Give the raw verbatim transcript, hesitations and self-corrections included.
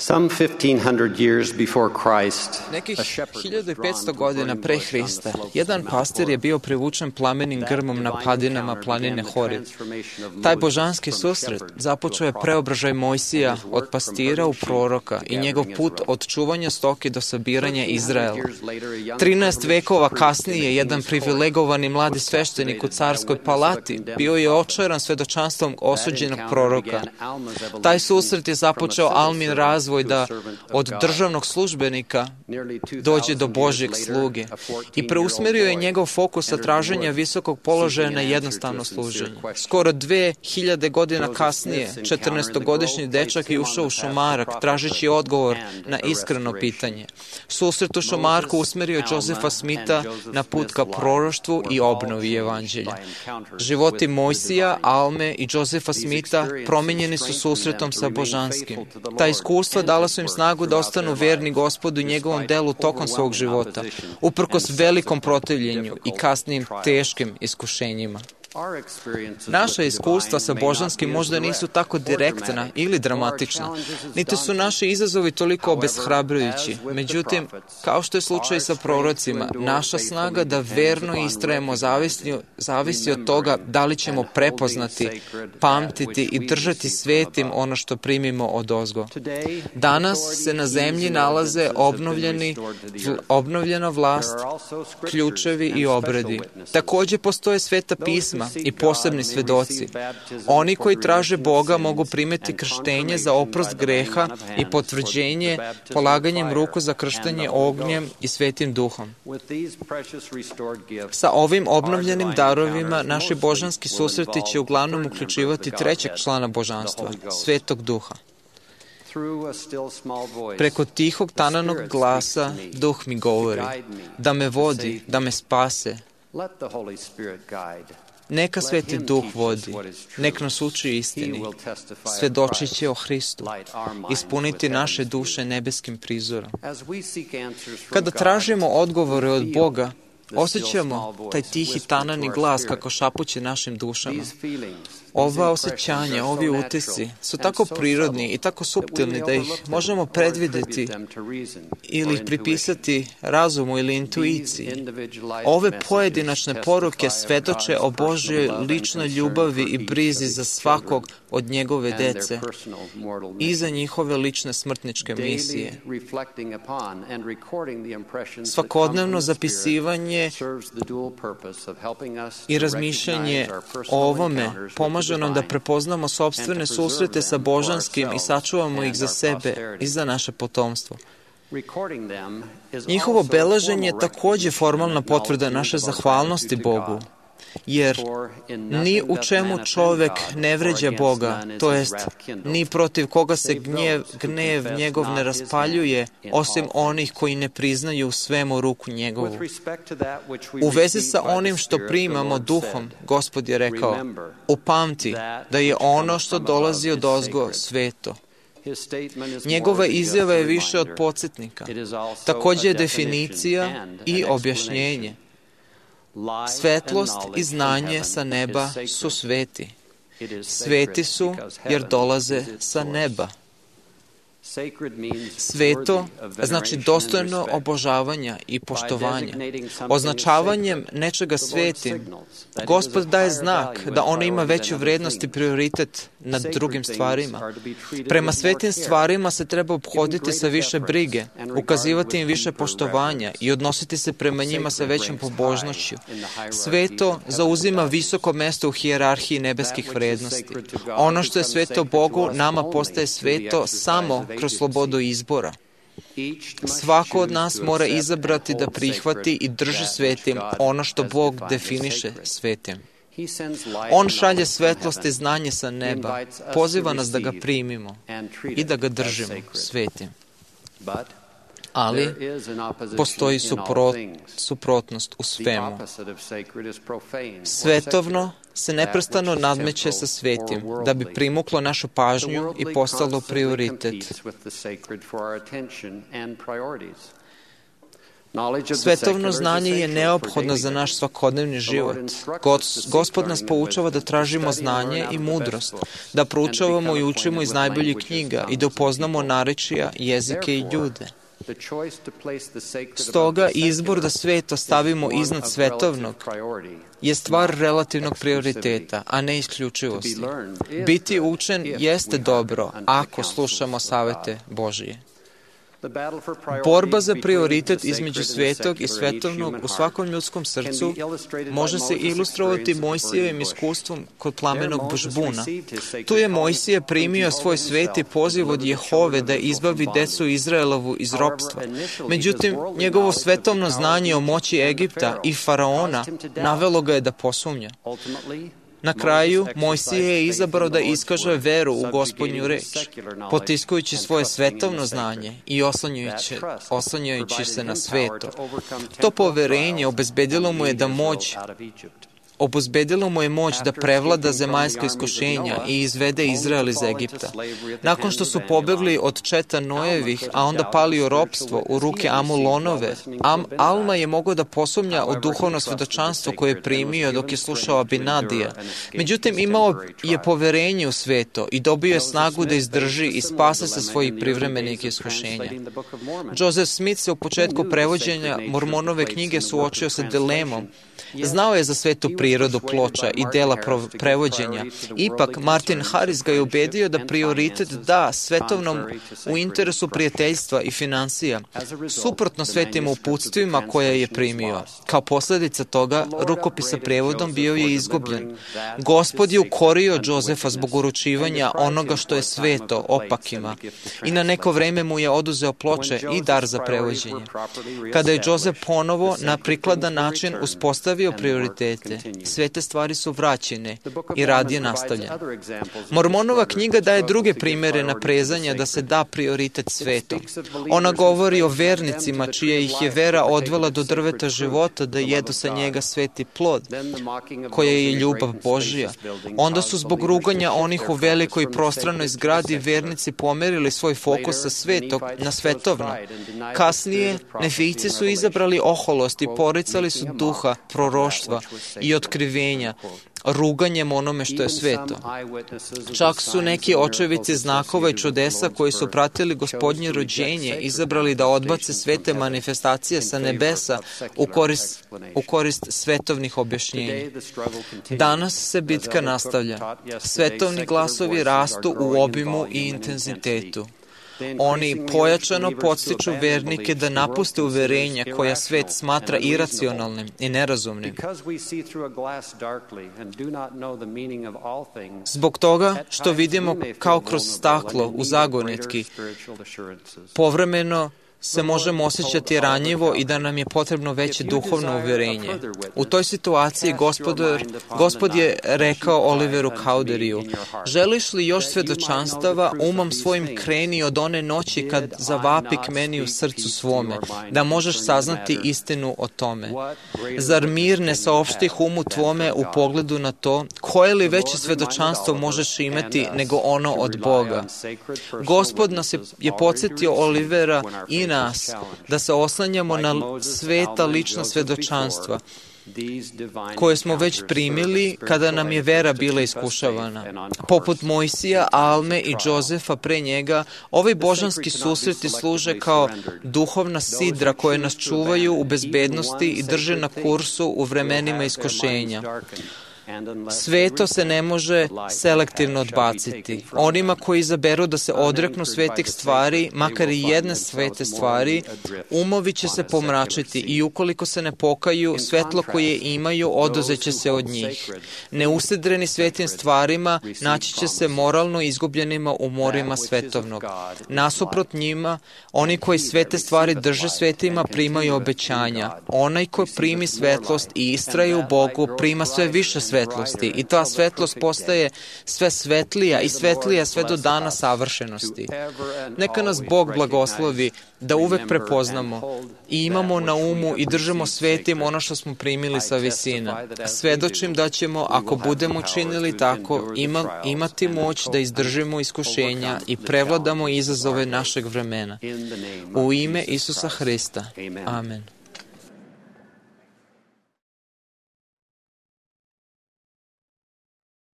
Some fifteen hundred years before Christ, Nekih hiljadu i petsto godina pre Hrista, jedan pastir je bio privučen plamenim grmom na padinama planine Horeb. Taj božanski susret započeo je preobražaj Mojsija od pastira u proroka i njegov put od čuvanja stoke do sabiranja Izraela. Trinaest vekova kasnije, jedan privilegovani mladi sveštenik u carskoj palati bio je očaran svedočanstvom osuđenog proroka. Taj susret je započeo Almin razvoj da od državnog službenika dođe do Božjeg sluge i preusmerio je njegov fokus sa traženja visokog položaja na jednostavno služenje. Skoro dve hiljade godina kasnije, četrnaestogodišnji dečak je ušao u šumarak tražeći odgovor na iskreno pitanje. Susret u šumarku usmerio je Josefa Smitha na put ka proroštvu i obnovi evanđelja. Životi Mojsija, Alme i Josefa Smitha promenjeni su susretom sa božanskim. Ta iskustva dala su im snagu da ostanu verni Gospodu i njegovom delu tokom svog života, uprkos velikom protivljenju i kasnijim teškim iskušenjima. Naša iskustva sa božanskim možda nisu tako direktna ili dramatična, niti su naši izazovi toliko obeshrabrujući. Međutim, kao što je slučaj sa prorocima, naša snaga da verno istrajemo zavisi, zavisi od toga da li ćemo prepoznati, pamtiti i držati svetim ono što primimo od ozgo. Danas se na zemlji nalaze obnovljeni, obnovljena vlast, ključevi i obredi. Takođe postoje sveta pisma i posebni svedoci. Oni koji traže Boga mogu primiti krštenje za oprost greha i potvrđenje polaganjem ruku za krštenje ognjem i svetim duhom. Sa ovim obnovljenim darovima naši božanski susreti će uglavnom uključivati trećeg člana božanstva, Svetog Duha. Preko tihog tananog glasa Duh mi govori, da me vodi, da me spase. Neka Sveti Duh vodi, nek nas uči istini, svedočit će o Hristu, ispuniti naše duše nebeskim prizorom. Kada tražimo odgovore od Boga, osjećamo taj tihi tanani glas kako šapuće našim dušama. Ova osjećanja, ovi utisci su tako prirodni i tako suptilni da ih možemo predvideti ili ih pripisati razumu ili intuiciji. Ove pojedinačne poruke svedoče o Božjoj ličnoj ljubavi i brizi za svakog od njegove dece i za njihove lične smrtničke misije. Svakodnevno zapisivanje i razmišljanje o ovome pomaže nam da prepoznamo sopstvene susrete sa božanskim i sačuvamo ih za sebe i za naše potomstvo. Njihovo beleženje je takođe formalna potvrda naše zahvalnosti Bogu, jer ni u čemu čovek ne vređa Boga, to jest ni protiv koga se gnjev, gnev njegov ne raspaljuje, osim onih koji ne priznaju u svemu ruku njegovu. U vezi sa onim što primamo duhom, Gospod je rekao, upamti da je ono što dolazi od ozgo sveto. Njegova izjava je više od podsjetnika. Takođe je definicija i objašnjenje. Svetlost i znanje sa neba su sveti. Sveti su jer dolaze sa neba. Sveto znači dostojno obožavanja i poštovanja. Označavanjem nečega svetim, Gospod daje znak da ono ima veću vrednost i prioritet nad drugim stvarima. Prema svetim stvarima se treba obhoditi sa više brige, ukazivati im više poštovanja i odnositi se prema njima sa većom pobožnošću. Sveto zauzima visoko mesto u hijerarhiji nebeskih vrednosti. Ono što je sveto Bogu, nama postaje sveto samo kroz slobodu izbora. Svako od nas mora izabrati da prihvati i drži svetim ono što Bog definiše svetim. On šalje svetlost i znanje sa neba, poziva nas da ga primimo i da ga držimo svetim. Ali postoji suprot, suprotnost u svemu. Svetovno se neprestano nadmeće sa svetim, da bi primuklo našu pažnju i postalo prioritet. Svetovno znanje je neophodno za naš svakodnevni život. Gospod nas poučava da tražimo znanje i mudrost, da proučavamo i učimo iz najboljih knjiga i da upoznamo narečja, jezike i ljude. Stoga, izbor da sveto stavimo iznad svetovnog je stvar relativnog prioriteta, a ne isključivosti. Biti učen jeste dobro ako slušamo savete Božije. Borba za prioritet između svetog i svetovnog u svakom ljudskom srcu može se ilustrovati Mojsijevim iskustvom kod plamenog bužbuna. Tu je Mojsije primio svoj sveti poziv od Jehove da izbavi decu Izraelovu iz ropstva. Međutim, njegovo svetovno znanje o moći Egipta i Faraona navelo ga je da posumnja. Na kraju, Mojsije je izabrao da iskaže veru u Gospodnju reč, potiskujući svoje svetovno znanje i oslanjajući, oslanjajući se na sveto. To poverenje obezbedilo mu je da moć Obezbedilo mu je moć da prevlada zemaljska iskušenja i izvede Izrael iz Egipta. Nakon što su pobegli od četa Noevih, a onda pali u ropstvo u ruke Amulonove, Am, Alma je mogao da posumnja u duhovno svedočanstvo koje je primio dok je slušao Abinadija. Međutim, imao je poverenje u sveto i dobio je snagu da izdrži i spase se svojih privremenih iskušenja. Joseph Smith se u početku prevođenja Mormonove knjige suočio sa dilemom. Znao je za svetu prirodu ploča i dela prevođenja. Ipak, Martin Harris ga je ubedio da prioritet da svetovnom u interesu prijateljstva i finansija, suprotno svetim uputstvima koje je primio. Kao posljedica toga, rukopis sa prevodom bio je izgubljen. Gospod je ukorio Josefa zbog uručivanja onoga što je sveto opakima i na neko vreme mu je oduzeo ploče i dar za prevođenje. Kada je Josef ponovo na prikladan način uspostavio prioritete, sve te stvari su vraćene i rad je nastavljen. Mormonova knjiga daje druge primere naprezanja da se da prioritet svetom. Ona govori o vernicima čija ih je vera odvela do drveta života da jedu sa njega sveti plod, koja je ljubav Božija. Onda su zbog ruganja onih u velikoj prostranoj zgradi vernici pomerili svoj fokus sa svetog na svetovno. Kasnije, Nefijci su izabrali oholost i poricali su duha proroštva i otkrivenja, ruganjem onome što je sveto. Čak su neki očevici znakova i čudesa koji su pratili Gospodnje rođenje izabrali da odbace svete manifestacije sa nebesa u korist, u korist svetovnih objašnjenja. Danas se bitka nastavlja. Svetovni glasovi rastu u obimu i intenzitetu. Oni pojačano podstiču vernike da napuste uverenja koja svet smatra iracionalnim i nerazumnim. Zbog toga što vidimo kao kroz staklo u zagonetki, povremeno se možemo osjećati ranjivo i da nam je potrebno veće duhovno uverenje. U toj situaciji gospodar, Gospod je rekao Oliveru Cowderiju, želiš li još svedočanstava, umom svojim kreni od one noći kad zavapi k meni u srcu svome, da možeš saznati istinu o tome. Zar mir ne saopštih umu tvome u pogledu na to, koje li veće svedočanstvo možeš imati nego ono od Boga? Gospod nas je, je podsjetio Olivera i nas, da se oslanjamo na sveta lična svedočanstva, koje smo već primili kada nam je vera bila iskušavana. Poput Mojsija, Alme i Josefa pre njega, ovi božanski susreti služe kao duhovna sidra koje nas čuvaju u bezbednosti i drže na kursu u vremenima iskušenja. Sveto se ne može selektivno odbaciti. Onima koji izaberu da se odreknu svetih stvari, makar i jedne svete stvari, umovi će se pomračiti i ukoliko se ne pokaju, svetlo koje imaju oduzeće se od njih. Neusedreni svetim stvarima naći će se moralno izgubljenima u morima svetovnog. Nasuprot njima, oni koji svete stvari drže svetima primaju obećanja. Onaj ko primi svetlost i istraje u Bogu prima sve više svetlosti i ta svetlost postaje sve svetlija i svetlija sve do dana savršenosti. Neka nas Bog blagoslovi da uvek prepoznamo i imamo na umu i držimo svetim ono što smo primili sa visina. Svedočim da ćemo, ako budemo činili tako, ima, imati moć da izdržimo iskušenja i prevladamo izazove našeg vremena. U ime Isusa Hrista. Amen.